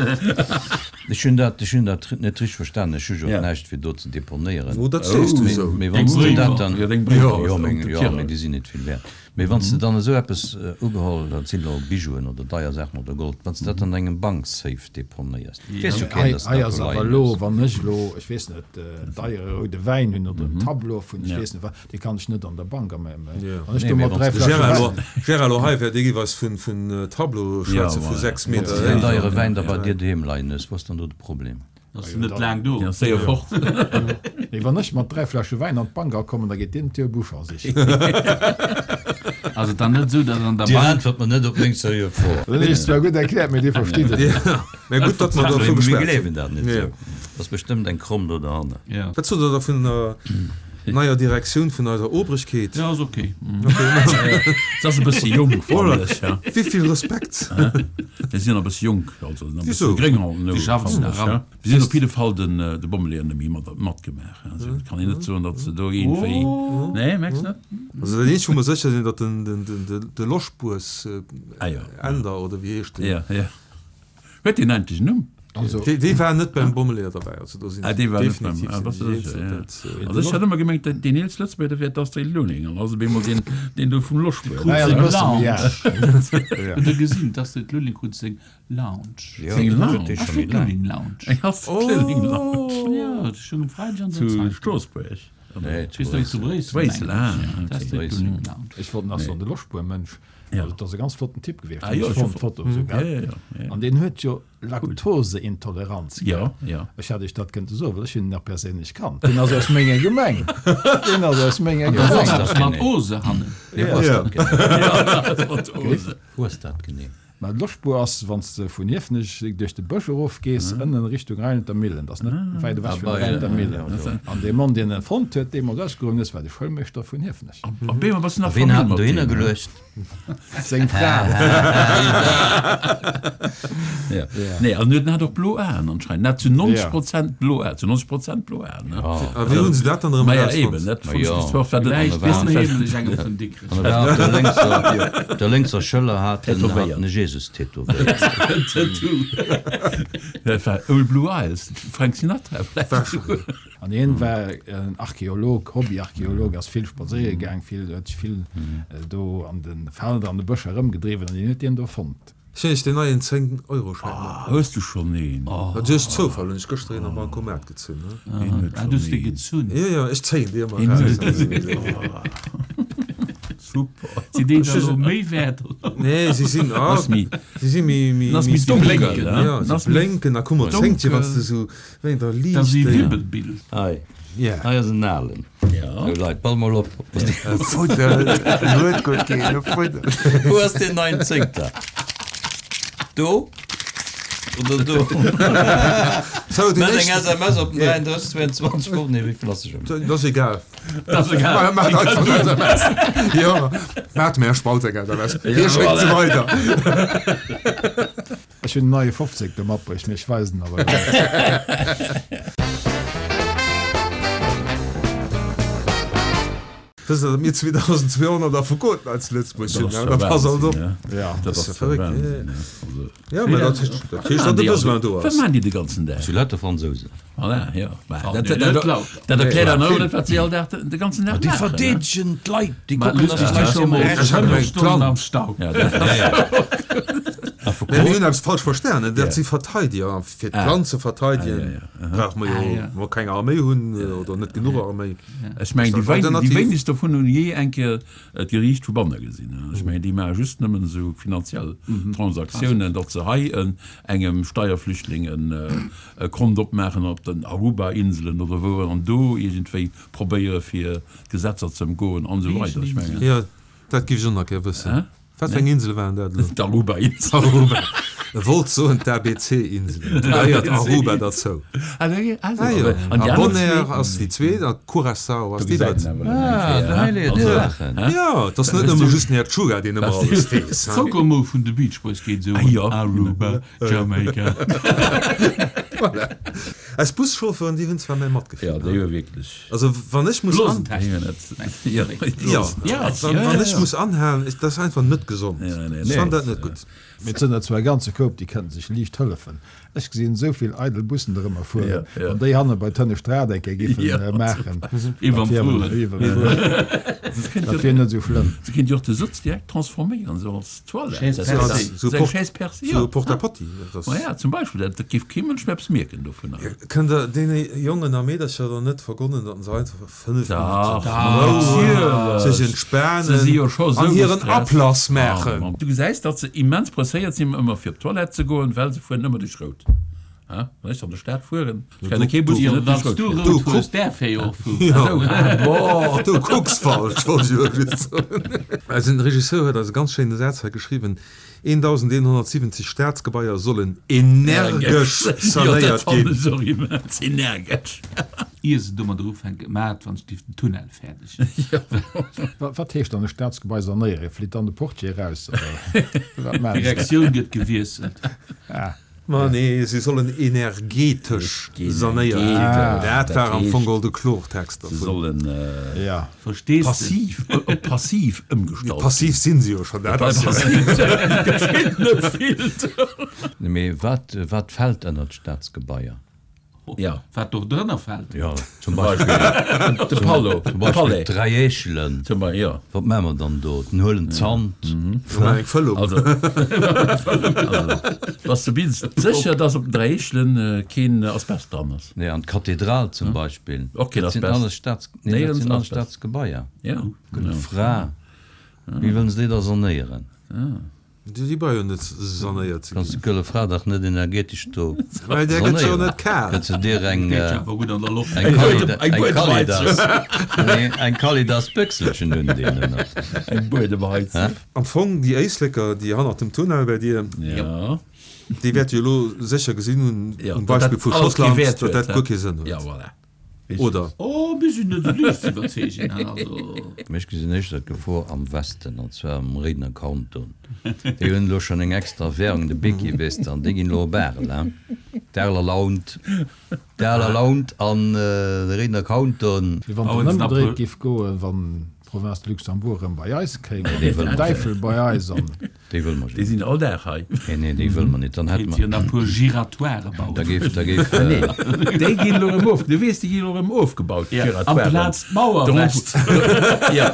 Speaker 2: Ech hunn dat, ech hunn dat net richteg verstanen. Ech hu jo och näischt fir do ze deponéieren.
Speaker 1: Oh, dat sees du esou.
Speaker 2: Mee wann s du dat dann, jo, meng, jo, mee déi sinn net vill wäert. Mee wann s de dann esou eppes ugeholl, dat sinn elo Bijouen oder deier Saachen oder Gold, wann s de dat an engem Banksafe deponéiers, weess jo keen, dass de
Speaker 3: Hei
Speaker 2: dat
Speaker 3: ass
Speaker 2: do
Speaker 3: awer
Speaker 2: leien
Speaker 3: elo,
Speaker 2: hues.
Speaker 3: wann ech elo, ech weess net, en deiere roude Wäin hunn oder en Tableau vun ech weess net wat, dee kann ech net an der Bank a mengem, wann ech do mat 3 Fläsche Wäin.
Speaker 1: Gérard, elo hei wäert ee géif eis vun Tableaue schwätze vu 6
Speaker 2: Wann s
Speaker 1: Meter
Speaker 2: de deen
Speaker 1: héich.
Speaker 2: deiere Wäin da bei dir doheem leien hues, wou ass dann do de Problem?
Speaker 5: Ass net laang do.
Speaker 4: Deen ass séier fort.
Speaker 3: Mee wann ech mat 3 Fläsche Wäin an d'Bank akommen, da geet deen d'Dier Bouchon sichen.
Speaker 5: Ass et dann net esou, datt an der
Speaker 2: Dir
Speaker 5: Bank.
Speaker 2: äntwert mer net op meng seriö Fro.
Speaker 3: Dat hunn ech zwar gutt erkläert, mee Dir verstitt et net.
Speaker 1: Mä gutt, datt mer dervu
Speaker 2: Mir
Speaker 1: geschwat hunn.
Speaker 2: gleewen dat net esou. Dat ass bestëmmt eng Kromm do derhanner.
Speaker 1: Wat sot Der da vun der neier Direktioun vun eiser Obrigkeet?
Speaker 5: Jo, ass ok.
Speaker 4: Se ass e bësse jonk, fannen ech.
Speaker 1: Wéi vill Respekt!
Speaker 4: Mir sinn nach e bësse jonk, also nach e bësse
Speaker 1: Wisou?
Speaker 4: gréng an den
Speaker 5: Déi
Speaker 4: Oueren,
Speaker 5: schaffen
Speaker 4: fannen
Speaker 5: nach
Speaker 4: ech.
Speaker 5: eran.
Speaker 4: Si hunn op jidde Fall den de Bommeleeër nëmme mat matgemaach. Also et kann een net soen, datt se do iergendwéi, nee, mengs net?
Speaker 1: Also dat eenzegt wou mer sécher sinn, datt den den den de Loschbuers
Speaker 4: Ah jo.
Speaker 1: Änder oder wéi heescht deen?
Speaker 4: Ja, ja. Huet deen endlech en Numm?
Speaker 3: Also.
Speaker 1: Dee dee war net beim Bommeleeër derbäi, also do sinn
Speaker 4: Ah, dee war net beim,
Speaker 1: definitiv
Speaker 4: ah,
Speaker 1: sinn
Speaker 4: bass
Speaker 1: déi
Speaker 4: du
Speaker 1: eens,
Speaker 4: sécher, ja.
Speaker 1: dat.
Speaker 4: Also ech hat ëmmer gemengt, deen deen eelst Lëtzebuerger, dat wär d'Astrid Lulling, an ass op eemol deen deen do vum Loschbuer.
Speaker 3: Naja, e bësse méi al.
Speaker 5: Hutt Der gesinn, d'Astrid Lulling krut seng Lounge.
Speaker 2: Jo,
Speaker 4: Seng
Speaker 2: dat
Speaker 4: Lounge?
Speaker 2: huet dee scho méi
Speaker 5: Astrid
Speaker 2: laang.
Speaker 5: Lulling Lounge.
Speaker 4: Eng Astrid Lulling Lounge.
Speaker 5: Jo, dat stoung um Freideg an der
Speaker 4: Zu
Speaker 5: Zeitung.
Speaker 4: Stroossbuerg?
Speaker 2: Nee, zu
Speaker 5: Weess du, zu
Speaker 2: Bréissel.
Speaker 5: Bréissel,
Speaker 4: Bréissel, ah,
Speaker 5: mengen ech, ja.
Speaker 4: okay.
Speaker 5: D'Astrid
Speaker 2: Bréissel.
Speaker 5: Lulling Lounge.
Speaker 3: Ech wollt nach soen, de Loschbuer-Mënsch,
Speaker 4: Ja.
Speaker 3: also dat ass e ganz flotten Typ gewiescht,
Speaker 4: Ah
Speaker 3: hunn
Speaker 4: jo,
Speaker 3: ech
Speaker 4: ech hu
Speaker 3: fonnt, d'Foto esou,
Speaker 4: Ja,
Speaker 3: gell?
Speaker 4: ja, ja, ja.
Speaker 3: An deen huet jo Laktoseintoleranz
Speaker 4: Ja,
Speaker 3: gehat.
Speaker 4: ja.
Speaker 3: Ech hätt iech dat kënnte soen, well ech hunn en nach perséinlech kannt. Deen ass aus menger Gemeng. Deen ass aus menger
Speaker 5: An da
Speaker 3: Gemeng.
Speaker 5: ass
Speaker 2: dat
Speaker 5: eppes mat
Speaker 2: genee?
Speaker 5: Ose hannen.
Speaker 2: Nee, wou ass
Speaker 1: Ja.
Speaker 2: dat genee?
Speaker 4: Ja, mat Ose.
Speaker 2: Wou ass dat genee?
Speaker 3: Mä d'Loschbuer ass, wann s de vun Hiefenech duerch de Bësch erofgees, ënnen Richtung Rheinelter Millen. Dat ass net wäit ewech vun der Rheinelter Millen. An dee Mann, deen en fonnt huet, deemools ausgeruewen ass, war de Schoulmeeschter vun Hiefenech.
Speaker 4: Op eemol bass du nach
Speaker 2: A ween
Speaker 4: Famill
Speaker 2: hat en
Speaker 4: mat
Speaker 2: dohinner
Speaker 4: deem, ne?
Speaker 2: geluecht?
Speaker 3: Seng Fra.
Speaker 4: Ja. Nee, an en hat och blo Aen anscheinend. En hat zu 90 Prozent blo Aen, zu 90 Prozent blo Aen, ne?
Speaker 1: A wéi hunn se dat dann erëm
Speaker 4: Maja,
Speaker 1: erausfonnt?
Speaker 4: eben, dat
Speaker 2: Ma
Speaker 4: fonnt ech
Speaker 2: jo.
Speaker 4: bis zwar, wat
Speaker 5: Villäicht
Speaker 4: weess
Speaker 5: ass
Speaker 4: net, wat-
Speaker 5: heemlech engem vun Dikrech.
Speaker 2: An e war op der lénkser, op der lénkser Schëller hat en, hat
Speaker 4: Tätowéiert.
Speaker 2: en e Jesus tätowéiert.
Speaker 5: Tattoo.
Speaker 4: Dat war Old Blue Eyes, Frank Sinatra vläicht.
Speaker 3: An hien war en Archeolog, Hobbyarcheolog, ass vill spadséiere gaang, vill, huet sech vill do an de Felder, an de Bëscher erëmgedriwwen an hien huet dien do fonnt.
Speaker 1: Ech hunn iech deen neien 10 Euro Schäin matbruecht.
Speaker 4: Hues du schonn een?
Speaker 1: Duerch Zoufall hunn ech gëschter een am Bancomat gezunn.
Speaker 4: Een huet
Speaker 5: Ah, du hues
Speaker 4: schonn
Speaker 5: dee
Speaker 4: een.
Speaker 5: gezunn?
Speaker 1: Jo, jo, ech zéien déi ëmmer
Speaker 4: Een
Speaker 1: eraus.
Speaker 4: huet Super.
Speaker 5: Sinn déi da lo méi wäert, oder?
Speaker 1: Nee, si sinn, ah,
Speaker 4: Ass méi,
Speaker 1: si si méi, méi,
Speaker 4: ass méi
Speaker 1: méi
Speaker 4: donkel,
Speaker 1: blénken.
Speaker 4: hein?
Speaker 1: Jo, si
Speaker 4: Ass méi
Speaker 1: blénken. A kuck mol, zéngt jo, wann s de esou wéi der
Speaker 5: Dat ass
Speaker 1: Liicht
Speaker 5: ee
Speaker 1: déi.
Speaker 5: Wibbelbild.
Speaker 2: Hei,
Speaker 1: Yeah.
Speaker 2: hei ass en alen.
Speaker 4: Ja.
Speaker 2: Sou Leit, pass mol op.
Speaker 6: E Fuddel, en huet guer keen, e Fuddel.
Speaker 2: Wou ass deen neien Zéngter? Do oder do?
Speaker 1: Sou, deen
Speaker 2: Meld eng
Speaker 1: éischten.
Speaker 2: SMS op den 33 22 Woch, nee, wéi vill ass se schon?
Speaker 1: Dat ass egal.
Speaker 5: Dat ass egal.
Speaker 1: Maat einfach eng SMS. Jo, maat mir spalt eng SMS. Hie schéckt se weider.
Speaker 3: Ech hunn en neie Fofzéngter matbruecht, mee ech weisen en awer elo net.
Speaker 1: Wësst Der, datt mir 2.200 Affekoten hei zu Lëtzebuerg hunn?
Speaker 4: Dat
Speaker 1: Da
Speaker 4: ass
Speaker 1: pass alt op.
Speaker 4: Wahnsinn, ne?
Speaker 3: Ja.
Speaker 4: Dat
Speaker 1: ass
Speaker 4: ass
Speaker 1: verréckt,
Speaker 4: Wahnsinn, ne? Also,
Speaker 1: Ja, mä dat heescht, dat heescht, datt de Besoin do
Speaker 4: Wat
Speaker 1: ass.
Speaker 4: maachen déi de ganzen Dag?
Speaker 2: Zu lauter Fransousen.
Speaker 4: Voilà, jo. Mä
Speaker 5: Oh,
Speaker 4: dat,
Speaker 5: nee,
Speaker 4: dat,
Speaker 5: net
Speaker 4: dat,
Speaker 5: lauter.
Speaker 4: dat erkläert dann och net, wat si all Dag, de ganzen Dag
Speaker 2: Déi
Speaker 4: maachen, ne?
Speaker 2: verdeedegen d'Leit, déi
Speaker 5: Mä
Speaker 2: kucken, datt
Speaker 5: lustig,
Speaker 2: d'Leit
Speaker 5: scho mol
Speaker 2: hir
Speaker 1: Ech hat
Speaker 5: 5
Speaker 1: gemengt,
Speaker 5: Stonnen
Speaker 1: d'Land.
Speaker 5: am Stau.
Speaker 4: Ja, dat
Speaker 2: Ja, ja.
Speaker 1: Affekot. Mir hunn eppes falsch verstanen. Dat si Verteidiger. A fir d'Land ze verteidegen, brauche mer jo mol keng Arméi hunn oder net genuch Arméi.
Speaker 4: Ech mengen, déi wéinegst dovun hunn jee eng Kéier d'Geriicht vu banne gesinn. Ech mengen, déi maache just nëmmen esou finanziell Transaktiounen, datt se hei engem Steierflüchtling e Kont opmaachen op den Aruba-Inselen oder wou an do iergendwéi probéiere fir d'Gesetzer ze ëmgoen an esou weider. Ech mengen.
Speaker 1: Jo, dat géif ech och nach gär wëssen. Wat fir eng Insele waren dat elo?
Speaker 4: D'Aruba-Inselen.
Speaker 1: Aruba. E wollt soen d'ABC-Inselen. Do gehéiert Aruba derzou.
Speaker 4: Ah jo.
Speaker 1: Ah jo.
Speaker 4: An
Speaker 1: déi aner zwee? Bonaire ass déi zweet a Curaçao ass déi drëtt.
Speaker 2: Ah, do hei léiert ee Saachen.
Speaker 1: Jo, et ass net nëmme just den Här Tschugga, deen ëmmer alles weess.
Speaker 5: D'Kokomo vun de Beach Boys geet esou un, Aruba, Jamaica.
Speaker 1: Voilà. Eis Buschauffeuren, déi hunn zwar méi Matgefill.
Speaker 4: Jo, déi hu wierklech.
Speaker 1: Also wann ech muss an Jo, wann ech muss anhalen, dat ass einfach net gesond. Ech fannen dat net gutt.
Speaker 3: Mee et sënn der zwar e ganze Koup, déi kënnen sech liicht hëllefen. Ech gesinn esou vill eidel Bussen dorëmmer fueren. Wann déi hanne bei d'hënnescht Rad eng Kéier giffen maachen, dat wier net esou schlëmm.
Speaker 4: Se kéint jo och de Sëtz direkt transforméieren, esou als Toilette.
Speaker 5: Chaise percée.
Speaker 4: Chaise percée,
Speaker 1: jo. Sou e Porte-à-Potty.
Speaker 4: Ma ja, zum Beispill. Dat géif kee Mënsch méi eppes mierken dovunner.
Speaker 1: Kënnt Der deene Jongen a Meedercher dann net vergonnen, datt se einfach 5 Minutten Rou, sech entspanen an hiren Ablass maachen?
Speaker 4: Du gesäis, datt se immens presséiert sinn, ëmmer fir op d'Toilette ze goen, well se fueren ëmmer duerch Rout. Wann ech an der Stad fueren, ech kenne kee Bus, deen net duerch Rout fiert.
Speaker 5: Du hues därf jo och fueren.
Speaker 1: Du kucks falsch, wollt ech elo just soen. Eisen Regisseur huet eis e ganz schéine Saz hei geschriwwen, 1.170 Staatsgebaier sollen energesch sanéiert ginn.
Speaker 4: Jo, dat fannen ech och immens, energesch.
Speaker 5: Ier se domadder ufänken, maacht wann ech dierf den Tunnel fäerdeg.
Speaker 3: Wat heescht dann e Staatsgebai sanéieren? Flitt dann de Portier eraus oder wat maachen se?
Speaker 5: D'Direktioun gëtt gewiesselt.
Speaker 1: Ma nee, se sollen energetesch sanéiert ginn. Dat war am Fong geholl de Klortext
Speaker 4: dervun. Se sollen
Speaker 5: Verstees de?
Speaker 4: passiv, op passiv ëmgestallt ginn.
Speaker 1: Passiv sinn se jo schonn, dat ass jo.
Speaker 4: Geschitt net vill.
Speaker 2: Mee wat, wat fält ënnert Staatsgebaier?
Speaker 4: Ja.
Speaker 5: Wat do drënner fält?
Speaker 2: Jo, zum Beispill,
Speaker 4: De Pallo,
Speaker 2: zum Beispill
Speaker 4: Palais.
Speaker 2: d'Dräi Eechelen.
Speaker 4: Zum Beispill, jo.
Speaker 2: Wat maache mer dann do? Den huelen Zant.
Speaker 1: Mir maachen eng Fëllung.
Speaker 4: Also, also, bass du bis sécher, dass op den Dräi Eechelen keen Asbest dran ass?
Speaker 2: Nee, an d'Kathedral zum Beispill.
Speaker 4: Och keen
Speaker 2: Dat sinn
Speaker 4: Asbest.
Speaker 2: alles Staats, nee, dat sinn alles Staatsgebaier.
Speaker 4: Ja, genau.
Speaker 2: Fra, wéi wëllen se déi da sanéieren?
Speaker 1: Déi brauch jo net sanéiert ze
Speaker 2: Kanns
Speaker 1: ginn.
Speaker 2: de d'Gëlle Fra dach net energetesch do
Speaker 1: Well där gëtt jo
Speaker 2: sanéieren.
Speaker 1: net kal.
Speaker 2: Gëtt se dir eng
Speaker 5: Geet jo awer gutt an der Loft.
Speaker 2: eng Kali eng Kalidas nee eng Kalidas Bëchselchen un deenen nach.
Speaker 4: Eng Buedemheizung.
Speaker 1: Am Fong déi Éisleker déi hannert dem Tunnel bei dir,
Speaker 4: Ja.
Speaker 1: déi wäerte jo elo sécher gesinn hunn
Speaker 4: Ja,
Speaker 1: um
Speaker 4: datt
Speaker 1: Beispill
Speaker 4: dat
Speaker 1: vu
Speaker 4: alles kee
Speaker 1: Schottland,
Speaker 4: Wäert
Speaker 1: datt
Speaker 4: huet,
Speaker 1: dat
Speaker 4: hä?
Speaker 1: guer kee Sënn
Speaker 4: Ja,
Speaker 1: huet.
Speaker 4: voilà.
Speaker 1: Oder?
Speaker 5: Oh, mir sinn net esou liicht ze iwwerzeegen, also.
Speaker 2: Mee ech gesinn éischter d'Gefor am Westen, an zwar am Réidener Kanton. Déi hunn elo schonn eng extra Währung, de Beki, weess de, an déi ginn elo op Arel, hein? D'Areler Launt, d'Areler Launt an de Réidener Kanton.
Speaker 3: Wéi wann et ëmgedréit giff goen, wann d'Province de Luxembourg erëm bei eis kéim, an d'Äifel bei eis an.
Speaker 2: Déi wëlle mer
Speaker 4: Déi sinn all Dag hei.
Speaker 2: Nee, nee, déi wëlle mer net. Dann hätte
Speaker 5: Kéint jo
Speaker 2: mer.
Speaker 5: nach puer Giratoiren bauen.
Speaker 2: Da géif, da géif.
Speaker 4: Ah nee, déi ginn elo erëm of, du weess, déi ginn elo erëm ofgebaut,
Speaker 5: Ja,
Speaker 4: d'Giratoiren.
Speaker 5: amplaz d'Mauer
Speaker 4: De Rond,
Speaker 5: west.
Speaker 4: ja,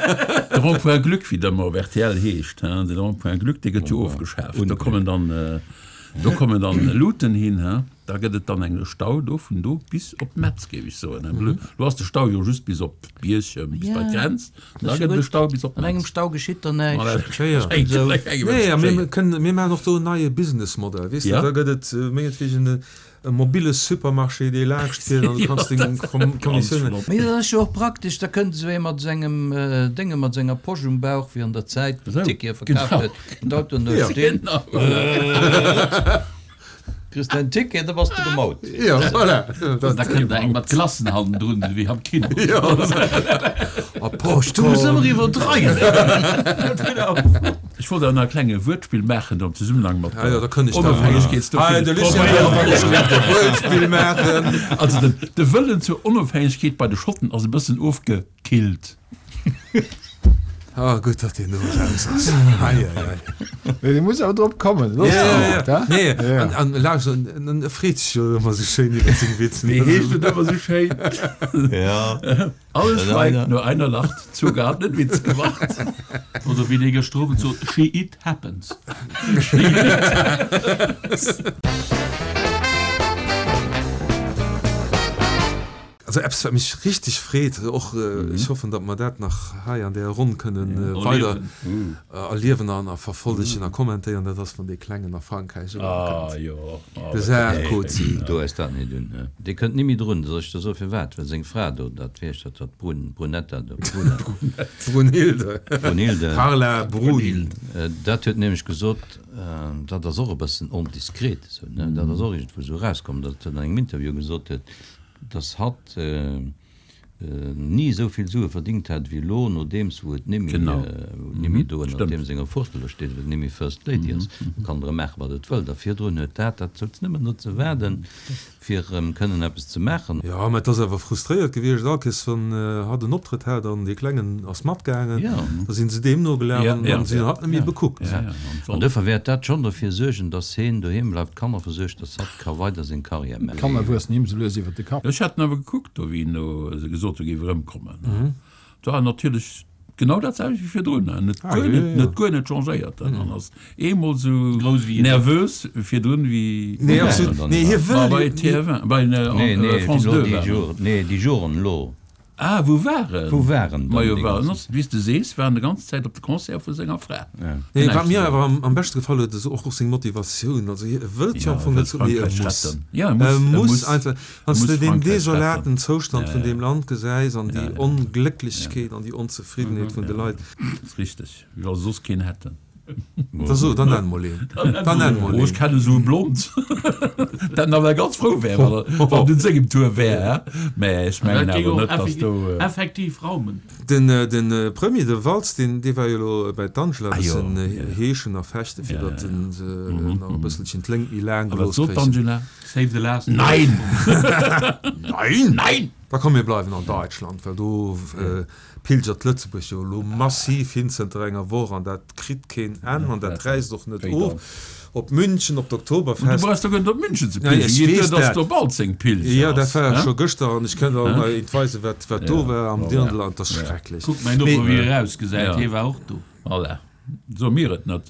Speaker 4: de Rond-point Glück, wéi der ëmmer op rtl heescht, hein, de Rond-point Glück, dee gëtt jo ofgeschaaft. Do kommen dann, do kommen dann Luuten hin, hein. Da gëtt et dann eng Stau do vun do bis op Metz, géif ech soen. Elo ass de Stau jo just bis op Bierchem, bis bei d'Grenz. Da gëtt et e Stau bis op
Speaker 2: An engem
Speaker 4: Metz.
Speaker 2: Stau geschitt der näischt.
Speaker 1: Nee, a mir kënnen, mir maachen och do en neie Businessmodell, weess de. Da gëtt et mengetwegen e mobile Supermarché, dee laanscht fiert an du kanns deng Kommissiounen.
Speaker 2: Mee dat ass jo och praktesch, da kënnt esou ee mat sengem Dénge, mat senger Posch um Bauch, wéi an der Zäit, wou d'Tickete verkaaft huet, an d'Autoen do stinn. Kriss däin Ticket, da bass de gemaut.
Speaker 1: Jo, voilà.
Speaker 5: Da kënnt der eng mat Glacen hannendrun, esou wéi am Kino.
Speaker 1: Jo. A
Speaker 2: Du muss ëmmer iwwerdreiwen.
Speaker 4: Ech wollt awer nach e klenge Wuertspill maachen do am Zesummenhang mat
Speaker 1: Ah jo, da kënn ech da.
Speaker 4: Onofhängegkeetsdag.
Speaker 1: Hei, de Lucien wëll awer geschriwwen e Wuertspill maachen.
Speaker 4: Also den, de Wëllen zur Onofhängegkeet bei de Schotten ass e bëssen ofgekillt.
Speaker 1: Ah, gutt, datt deen do eraus ass. Ei, ei, ei.
Speaker 3: Nee, dee muss awer drop kommen. Looss
Speaker 1: Ja, ja,
Speaker 3: haut,
Speaker 1: ja.
Speaker 3: hä?
Speaker 1: Nee,
Speaker 3: Ja.
Speaker 1: an, an Lars, en, en e freet sech jo ëmmer sou schéin iwwer seng Witzen.
Speaker 4: Wéi heescht et ëmmer sou schéin?
Speaker 2: Ja.
Speaker 4: Alles
Speaker 2: Dat
Speaker 4: schweigt,
Speaker 2: einer.
Speaker 4: nur einer lacht. Zucker hat nen Witz gemacht.
Speaker 5: Oder wéi dee gëschter Owend sot, She it happens.
Speaker 1: Also eppes wat mech richteg freet, och ech hoffen datt mer dat nach hei an där Ronn kënnen weider erliewen an a verfollegen a kommentéieren, dat ass wann dee Klengen a Frankräich erëmkënnt, de Sarkozy.
Speaker 2: Do ass dat net un. Dee kënnt ni méi drun, soll ech der soen firwat? Well seng Fra do, dat, wéi heescht dat, dat Brun, Brunetta do, Bruna.
Speaker 1: Brunhilde.
Speaker 2: Brunhilde.
Speaker 1: Carla Bruni.
Speaker 2: Dat huet nämlech gesot, dat ass och e bëssen ondiskret esou, ne, dat ass och iergendwou esou erauskomm, datt en an engem Interview gesot huet, dass hatt ni esou vill Sue verdingt hätt wéi elo, nodeems wou et nimmi, wou et nimmi do ënnert deem senger Fuertel do steet, wou et nimmi First Lady ass. Do kann der maachen, wat et wëllt. A virdrun huet dat, dat souz nëmmen no ze waarden, fir erëm kënnen eppes ze maachen.
Speaker 1: Jo, mä et ass awer frustréiert gewiescht, all Kees wann hatt en Optrëtt hat an dee Klengen ass matgaangen, da sinn se deem nogelaf an dann sinn hatt net méi bekuckt.
Speaker 2: An duerfir wäert dat schonn derfir suergen, dass heen doheem bleift, d'Kanner versuergt, dass hatt ka weider seng Carrière maachen.
Speaker 3: D'Kanner wuessen him sou lues iwwer de Kapp.
Speaker 4: Ech hat en awer gekuckt do, wéi en do gesot huet, e géif erëmkommen. Et war natierlech genau dat selwecht wéi virdrun. En huet guer net, en huet guer net changéiert. En ass eemol esou nervös virdrun wéi.
Speaker 1: Nee, absolut. Nee, hie wëll.
Speaker 4: Bei TF1, bei France 2 war en.
Speaker 2: Nee, déi Joren elo.
Speaker 4: Ah, wou war en?
Speaker 2: Wou war en dann
Speaker 4: Majo,
Speaker 2: déi
Speaker 4: war en
Speaker 2: ganzen.
Speaker 4: ass, wéi s de sees, war en de ganz Zäit op de Concert vu senger Fra.
Speaker 1: Nee, wat mir awer am, am beschte gefall huet, ass och och seng Motivatioun. Also hie wëllt jo am
Speaker 4: Ja,
Speaker 1: Fong
Speaker 4: e
Speaker 1: net
Speaker 4: wëllt
Speaker 1: sou, mee e
Speaker 4: Frankräich
Speaker 1: muss.
Speaker 4: retten. Ja, e
Speaker 1: E
Speaker 4: muss, e
Speaker 1: muss
Speaker 4: muss,
Speaker 1: einfach.
Speaker 4: e
Speaker 1: Wann s
Speaker 4: muss
Speaker 1: de deen
Speaker 4: Frankräich
Speaker 1: desolaten
Speaker 4: retten.
Speaker 1: Zoustand
Speaker 4: Ja,
Speaker 1: vun
Speaker 4: ja.
Speaker 1: deem Land gesäis an
Speaker 4: Ja,
Speaker 1: déi
Speaker 4: ja.
Speaker 1: Onglécklechkeet an déi Onzefriddenheet vun de Leit.
Speaker 4: Ass richteg, wéi wa se soss keen hätten.
Speaker 1: Da so, dann nenn mol een. Dann nenn mol
Speaker 4: Oh, ech
Speaker 1: een.
Speaker 4: kennen esou e Blond, dat nawell ganz frou wär, wann e, wann et un sengem Tour wär, hä? Mä ech mengen
Speaker 5: Dat géing
Speaker 4: awer
Speaker 5: och
Speaker 4: net, dass do.
Speaker 5: effektiv raumen.
Speaker 1: Den, den Premier, de Valls, deen, dee war jo elo bei d'Angela e
Speaker 4: Ah jo,
Speaker 1: bëssen
Speaker 4: ja, ja.
Speaker 1: heeschen a fechten, fir
Speaker 4: Ja,
Speaker 1: datt
Speaker 4: ja,
Speaker 1: en se nach e bësselchen d'Léngt méi laang
Speaker 4: A wat
Speaker 1: gelooss
Speaker 4: sot
Speaker 1: kréichen.
Speaker 4: d'Angela?
Speaker 5: Save the last
Speaker 4: Nein!
Speaker 1: Nein!
Speaker 4: Nein!
Speaker 1: Da komm, mir bleiwen an Deutschland, well do pilgert Lëtzebuerg jo elo massiv hin zënter enger Woch an dat kritt keen Enn an dat räisst och net of. Op München, op
Speaker 4: Du
Speaker 1: d'Oktoberfest.
Speaker 4: brauchs doch guer net op München ze
Speaker 1: Ja, ech
Speaker 4: pilgeren, geet duer,
Speaker 1: weess
Speaker 4: dass
Speaker 1: dat.
Speaker 4: do Balzeng Pilger
Speaker 1: Jo, dat
Speaker 4: ass,
Speaker 1: war
Speaker 4: hä?
Speaker 1: scho gëschter an ech kënnt och nach eent weisen, wat, wat do war am Dirndl an et ass schrecklech.
Speaker 5: Kuck mäin Noper,
Speaker 1: Mee
Speaker 5: wéi e rausgesäit,
Speaker 4: Ja.
Speaker 5: hie war och do.
Speaker 4: Voilà. So mir et net.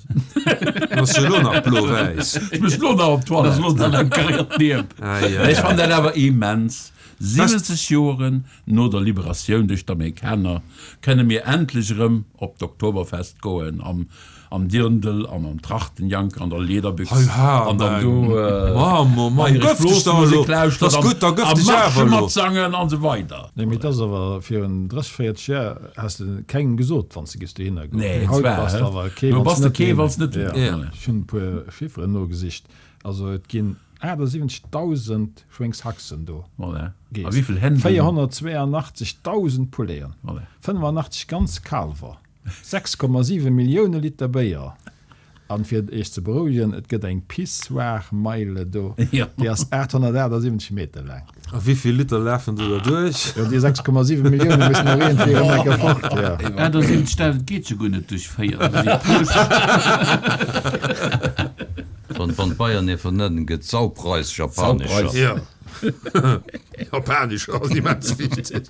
Speaker 1: en ass jo elo nach blo-wäiss.
Speaker 4: Ech muss lo nach op
Speaker 5: Dat ass
Speaker 4: d'Toilette.
Speaker 5: lo dann eng kariert Niep.
Speaker 1: Ai, ai,
Speaker 4: Ech
Speaker 1: ai.
Speaker 4: fann dat awer immens. 70 Joren no der Liberatioun duerch d'Amerikaner kënne mir endlech erëm op d'Oktoberfest goen am am Dirndl an am Trachtenjank an der Lederbüchs
Speaker 1: Hei ha,
Speaker 4: an dann do
Speaker 1: Mann, Mann, Mann,
Speaker 4: bayresch
Speaker 1: gëff dech da elo!
Speaker 4: Blosmusek lauschtert
Speaker 1: T'ass
Speaker 4: an
Speaker 1: gutt, da gëff
Speaker 4: a
Speaker 1: dech
Speaker 4: Marsche
Speaker 1: awer elo!
Speaker 4: matsangen an esou weider.
Speaker 3: Nee, mee et ass awer virun 30, 40 Jar häss de kengem gesot, wann s de giffs dohinner goen.
Speaker 4: Nee,
Speaker 3: Haut
Speaker 4: zwar,
Speaker 3: bass de
Speaker 4: hä?
Speaker 3: awer kee,
Speaker 4: Do
Speaker 3: wann
Speaker 4: bass
Speaker 3: s
Speaker 4: de
Speaker 3: net
Speaker 4: kee,
Speaker 3: dohinner
Speaker 4: wann s net
Speaker 3: Ja.
Speaker 1: Ja.
Speaker 3: Ech hunn e puer Chifferen nogesicht. Also et ginn 78.000 Schwéngshaxen do.
Speaker 4: Voilà.
Speaker 3: Gees.
Speaker 4: A wéivill Händelen?
Speaker 3: 482.000 Pouleten,
Speaker 4: Voilà.
Speaker 3: 85 ganz Kaalwer, 6,7 Millioune Liter Béier. An fir Iech ze berouegen, et gëtt eng Pissoir-Meile do, déi ass 878 Meter laang.
Speaker 1: A wéivill Liter lafen do da duerch?
Speaker 3: Jo, déi 6,7 Millioune mussen och iergendwéi erëm eng Kéier fort, jo.
Speaker 5: 78.000 geet jo guer net duerch 4, dat si puer.
Speaker 2: Wann d'Bayern ee vernennen, gëtt Saupreis japanescher.
Speaker 1: Jo, japanescher ass immens wichteg.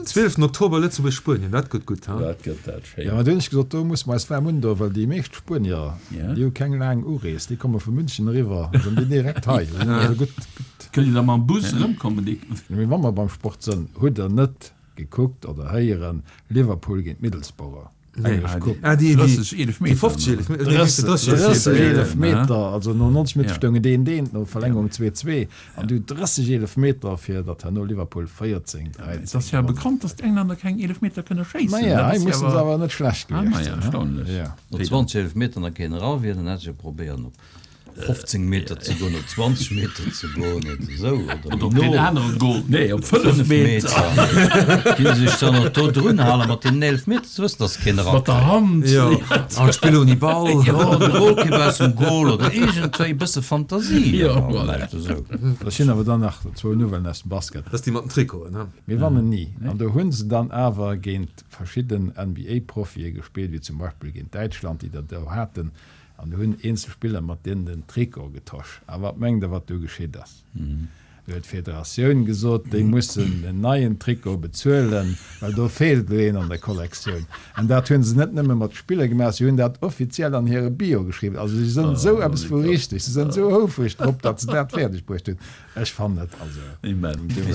Speaker 1: 12 Oktober Lëtzebuerg-Spuenien, dat gëtt gutt, ha?
Speaker 4: Dat gëtt dat schéin.
Speaker 3: Jo, mä do hunn ech gesot, do musse mer eis waarm undoen, well déi meescht Spuenier, déi hu keng laang Urees, déi komme vu München eriwwer, da sinn déi direkt hei. Da sinn also gutt, gutt.
Speaker 5: Kënnt Dir da mam Bus erëmkommen, déi.
Speaker 3: Mee wa mer beim Sport sënn, hutt Der net gekuckt oder héieren, Liverpool géint Middlesbrough? Englesch Coupe.
Speaker 1: Ah, déi, déi,
Speaker 4: 30 Eelefmeter.
Speaker 1: déi 50 Eelefmeter, nee,
Speaker 3: 30
Speaker 1: 30
Speaker 3: 30
Speaker 1: Eelefmeter.
Speaker 3: Eelefmeter, also no 90 Minutte
Speaker 4: Ja.
Speaker 3: stoungen deen, deen, no Verlängerung 2, 2, an du 30 Eelefmeter, fir datt herno Liverpool 14, 13
Speaker 4: Et ass ja
Speaker 3: gewonnen.
Speaker 4: bekannt, datt d'Englänner keng Eelefmeter kënne schéissen.
Speaker 3: Maja,
Speaker 4: Dat
Speaker 3: hei
Speaker 4: ass ja
Speaker 3: mussen se
Speaker 4: awer-
Speaker 3: awer net schlecht
Speaker 4: Ah,
Speaker 3: gewiescht
Speaker 4: maja,
Speaker 3: sinn, he?
Speaker 4: erstaunlech.
Speaker 3: Ja.
Speaker 2: No 20 Eelefmeter nach keen era wier, dann hätt ech jo probéieren op. 15 Meter ze goen, op 20 Meter ze goen oder esou,
Speaker 5: oder méi no. Op deen aneren Goal.
Speaker 4: Nee, op 5 Meter.
Speaker 2: Ginn sech dann och do drun halen mat deenen 11 Meter, ze wëssen, dass se keen
Speaker 4: erakréien. Mat der Hand.
Speaker 1: Jo, an d'Spill ouni Ball.
Speaker 2: Jo, de Golkipp aus dem Goal oder iergendwéi e bësse Fantasie.
Speaker 4: Jo,
Speaker 2: voilà. Esou.
Speaker 3: Ech hunn awer dann nach zwou Nouvellen aus dem Basket.
Speaker 1: Dat ass déi mat den Trikoten, he?
Speaker 3: Mir wannen ni. An do hu se dann awer géint verschidden NBA-Profie gespillt, wéi zum Beispill géint Däitschland, déi der do haten, an do hunn eenzel Spiller mat deenen den Trikot getosch. A wat mengt Der, wat du geschitt ass? Du huet d'Federatioun gesot, déi mussen en neien Trikot bezuelen, well do feelt elo een an der Kollektioun. An dat hu se net nëmme mat Spiller gemaach, si hunn dat offiziell an hire Bio geschriwwen. Also si sënn esou eppes vu richteg, si sënn esou houfreg drop, datt se dat fäerdeg bruecht hunn. Ech fannen et also.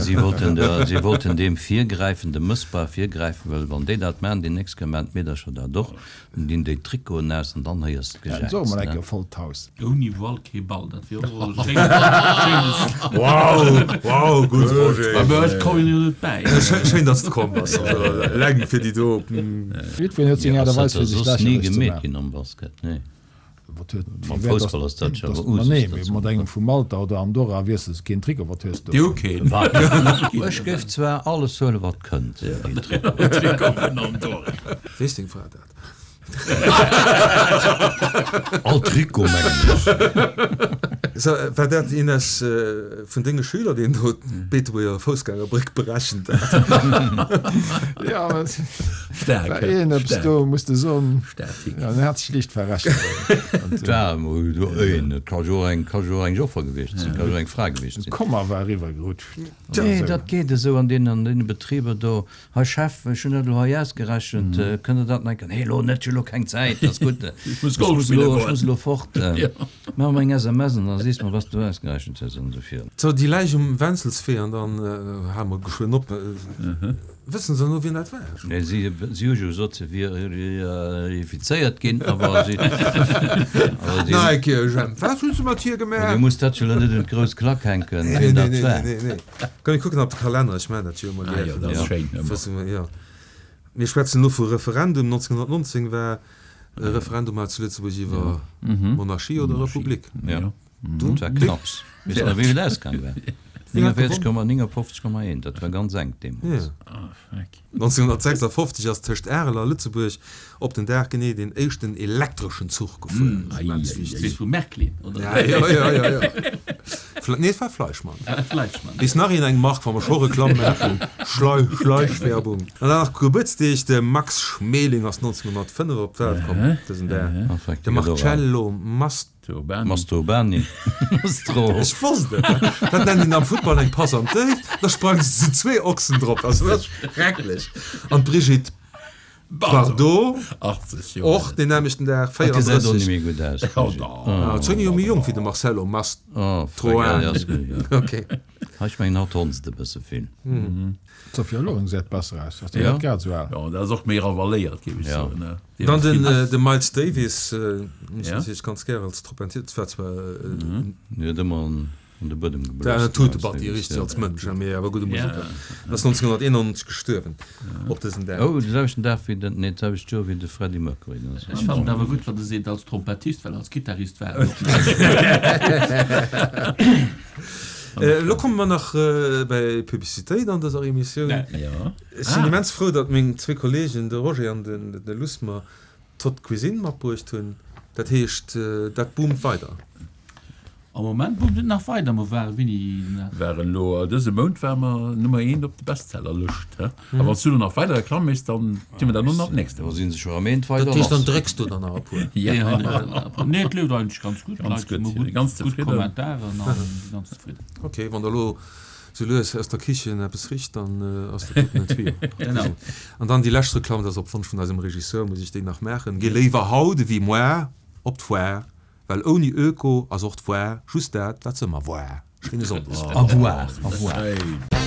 Speaker 2: Si wollten der, si wollten deem virgräifen, dem Mëssbrauch virgräifen, well wann déi dat maachen, déi nächst Kéier maachen d'Meedercher dat och, dann dinn déi d'Trikoten aus an dann héiers de
Speaker 3: Ja,
Speaker 2: d'Gejäiz,
Speaker 3: soe mer
Speaker 2: ne?
Speaker 3: eng Kéier vollt Haus.
Speaker 5: Ouni Ball kee Ball, dat wier och e schéines.
Speaker 1: Wow, wow, gutt Roger.
Speaker 5: Mä ech kommen jo net bäi.
Speaker 1: Schéin, datt s de komm bass, also eleng fir déi do.
Speaker 3: Jiddwereen huet seng
Speaker 2: Jo,
Speaker 3: Aart a
Speaker 2: ass
Speaker 3: Weis
Speaker 2: dat
Speaker 3: fir
Speaker 2: da
Speaker 3: sech
Speaker 2: soss ni
Speaker 3: lächerlech ze
Speaker 2: gemeet
Speaker 3: maachen.
Speaker 2: ginn am Basket? Nee.
Speaker 3: Wat huet,
Speaker 2: Mam
Speaker 3: firwat
Speaker 2: Foussball ass dat jo
Speaker 3: dass,
Speaker 2: awer
Speaker 3: ma
Speaker 2: Usus,
Speaker 3: nee,
Speaker 2: dat
Speaker 3: mee
Speaker 2: se
Speaker 3: mat engem vu Malta oder Andorra wiessels de keen Trikot, wat hues de
Speaker 4: Déi hu
Speaker 3: dovun?
Speaker 4: keen.
Speaker 2: Wat? Ech géif zwar alles huelen, wat kënnt. Een Trikot.
Speaker 4: Trikot vun Andorra.
Speaker 1: Weess deng Fra dat?
Speaker 2: All Trikot, mengen ech.
Speaker 1: So, war dat een aus vun denge Schüler, deen do d'Beetebuerger Foussgängerbréck berechent hat?
Speaker 3: Ja, mä et
Speaker 4: Staark,
Speaker 3: war iergendeppes
Speaker 4: staark.
Speaker 3: do, muss de soen.
Speaker 4: Statik.
Speaker 3: Ja, en hat sech liicht verrechent.
Speaker 2: Et war emol do een, et ka jo och eng, ka jo och eng Joffer gewiescht sinn, ka jo och eng Fra gewiescht sinn.
Speaker 3: D'Komma war eriwwergerutscht.
Speaker 2: Nee, dat geet esou an deenen, an deene Betriber do. Hei Chef, ech hunn dat elo hei ausgerechent, kënnt Der dat nach eng Kéier? Nee, elo net, ech hu elo keng Zäit, ass gutt,
Speaker 4: Ech muss
Speaker 2: ech
Speaker 4: Golf
Speaker 2: muss
Speaker 4: spille
Speaker 2: elo, ech
Speaker 4: goen.
Speaker 2: muss elo fort. Maach mer eng SMS an da sees mer, wat s du ausgerechent hues an esou virun.
Speaker 1: So, déi Läich um Wenzelswee an dann hale mer geschwënn op. Wëssen se elo, wien dat war?
Speaker 2: Nee, si, si hu jo gesot, se wier infizéiert ginn, awer si, awer si.
Speaker 1: Nach eng Kéier, Jemp, wat hu se mat hir
Speaker 2: Dir
Speaker 1: gemaach?
Speaker 2: musst dat jo elo net un d'grouss Klack hänken,
Speaker 1: Nee,
Speaker 2: wien
Speaker 1: nee,
Speaker 2: dat
Speaker 1: nee,
Speaker 2: war.
Speaker 1: nee, nee. Komm, mir kucken op de Kalenner, ech maachen dat jo ëmmer
Speaker 4: Ah jo,
Speaker 1: gär.
Speaker 4: dat ass schéin ëmmer.
Speaker 1: Wësse mer, jo. Mir schwätzen elo vu Referendum. 1919 war e Referendum hei zu Lëtzebuerg iwwer Monarchie oder Republik.
Speaker 2: Jo. Dat war knapps. Weess de nach, wéi et ausgaang war? 49,59,1, dat war ganz enk deemools.
Speaker 1: 1956 ass tëscht Arel a Lëtzebuerg op den Dag genee deen éischten elektreschen Zuch gefuer. Immens wichteg.
Speaker 5: Vu Märklin, oder?
Speaker 1: Ja, ja, ja, ja, ja. Nee, et war Fleischmann.
Speaker 5: Fleischmann.
Speaker 1: Weess nach een eng Mark, wa mer scho Reklamm maachen? Schlei, Schleichwerbung. An dann nach Gebuertsdeeg, de Max Schmeling ass 1905 op d'Welt komm dësen Dag. De Marcello Mast.
Speaker 2: Masturbani. Mastro.
Speaker 1: Ech wosst et! Dat nennt een am Futtball eng Pass an d'Déift. Da sprangen se zu zwee Ochsen drop. Also dat ass schrecklech. An d'Brigitte Bardot, och deen nämmlechten Dag,
Speaker 2: Dat gesäit och
Speaker 1: 34.
Speaker 2: net méi gutt aus, d'Brigitte.
Speaker 1: Ah, zwéng Joer méi jonk wéi de Marcello Mastroianni. Ok.
Speaker 2: Ech mengen, hatt honzt e bësse vill.
Speaker 3: D'Sophia Loren gesäit besser aus, ass déi net grad esou al?
Speaker 4: Jo, dat ass och méi ravaléiert, géif ech soen.
Speaker 1: Dann den de Miles Davis, hunn ech natierlech ganz gär als Trompetier, dat war zwar
Speaker 2: En huet ëmmer an de Buedem geblosen.
Speaker 1: Dat huet de Batty richteg als Mënsch, mee awer gudde Museker. En ass 1991 gestuerwen op dësem Dag.
Speaker 2: Oh, de selwechten Dag wéi den, nee, d'selwecht Joer wéi de Freddie Mercury.
Speaker 5: Ech fannen et awer gutt, wann e seet als Trompettist, well als Gittarist war en och net.
Speaker 1: Elo komme mer nach bäi Publicitéit an dëser Emissioun. Ech sinn immens frou, datt meng zwee Kollegen, de Roger an de Luss, mer d'Haute Cuisine matbruecht hunn. Dat heescht, dat boomt weider.
Speaker 5: Am Moment boomt et nach weider. Mer ware wéini nach?
Speaker 4: Waren elo dëse Mount ware mer Nummer eent op de Bestsellerlëscht. A wann s du elo nach weider Reklamm méchs, dann di mer dat elo nach d'nächst
Speaker 2: Da si se scho erëm eent weider
Speaker 1: Dat heescht, dann
Speaker 2: lass.
Speaker 1: drécks du der nach e puer.
Speaker 4: Ja.
Speaker 5: Nee, et leeft eigentlech ganz gutt.
Speaker 4: Ganz
Speaker 5: D'Leit
Speaker 4: gutt,
Speaker 5: hu gutt,
Speaker 4: ganz
Speaker 5: gutt
Speaker 4: zefridden.
Speaker 5: Kommentaren a si ganz zefridden.
Speaker 1: Ok, wann der elo sou lues aus der Kichen eppes richt, dann ass dat doten en Tuyau.
Speaker 5: Genau.
Speaker 1: An dann déi lescht Reklamm, dat ass op Wonsch vun eisem Regisseur, muss ech déi nach maachen, Géi léiwer haut ewéi moar op d'Foire, well ouni Öko ass och d'Foire just dat, wat se ëmmer woar. Schéine Sonndeg.
Speaker 2: Au revoir. Au revoir.